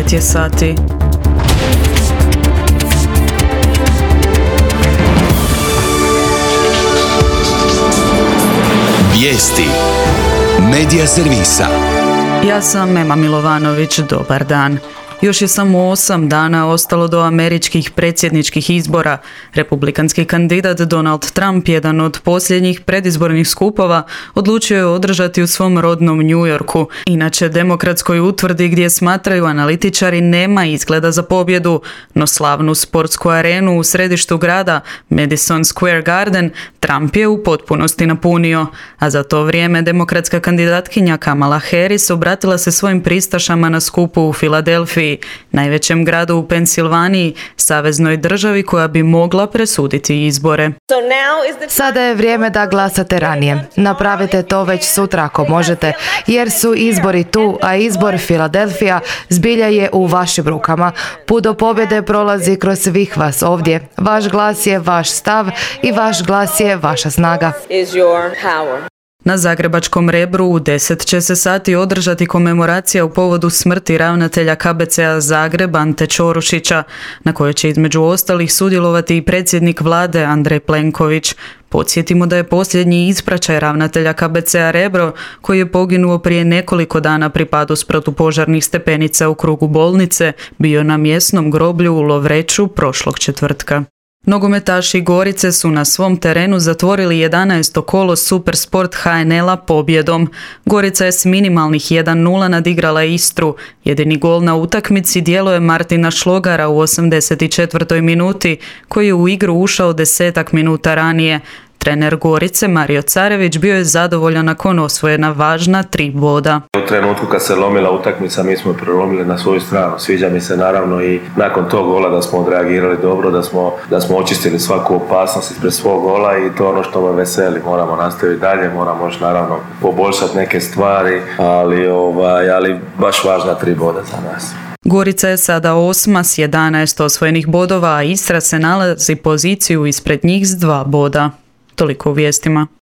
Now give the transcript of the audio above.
9 je sati. Vijesti Medija servisa. Ja sam Ema Milovanović, dobar dan. Još je samo 8 dana ostalo do američkih predsjedničkih izbora. Republikanski kandidat Donald Trump, jedan od posljednjih predizbornih skupova, odlučio je održati u svom rodnom New Yorku. Inače, demokratskoj utvrdi gdje smatraju analitičari nema izgleda za pobjedu, no slavnu sportsku arenu u središtu grada, Madison Square Garden, Trump je u potpunosti napunio. A za to vrijeme demokratska kandidatkinja Kamala Harris obratila se svojim pristašama na skupu u Filadelfiji, najvećem gradu u Pensilvaniji, saveznoj državi koja bi mogla presuditi izbore. Sada je vrijeme da glasate ranije. Napravite to već sutra ako možete, jer su izbori tu, a izbor Filadelfija zbilja je u vašim rukama. Put do pobjede prolazi kroz svih vas ovdje. Vaš glas je vaš stav i vaš glas je vaša snaga. Na zagrebačkom Rebru u 10 će se sati održati komemoracija u povodu smrti ravnatelja KBC-a Zagreb Ante Ćorušića, na kojoj će između ostalih sudjelovati i predsjednik vlade Andrej Plenković. Podsjetimo da je posljednji ispraćaj ravnatelja KBC-a Rebro, koji je poginuo prije nekoliko dana pri padu s protupožarnih stepenica u krugu bolnice, bio na mjesnom groblju u Lovreću prošlog četvrtka. Nogometaši Gorice su na svom terenu zatvorili 11. kolo Supersport HNL-a pobjedom. Gorica je s minimalnih 1:0 nadigrala Istru. Jedini gol na utakmici djelo je Martina Šlogara u 84. minuti, koji je u igru ušao 10 minuta ranije. Trener Gorice, Mario Carević, bio je zadovoljan nakon osvojena važna 3 boda. U trenutku kad se lomila utakmica, mi smo prelomili na svoju stranu. Sviđa mi se naravno i nakon tog gola da smo odreagirali dobro, da smo očistili svaku opasnost ispred svog gola i to je ono što me veseli. Moramo nastaviti dalje, moramo još naravno poboljšati neke stvari, ali baš važna 3 boda za nas. Gorica je sada 8. s 11 osvojenih bodova, a Istra se nalazi poziciju ispred njih s 2 boda. Toliko u vijestima.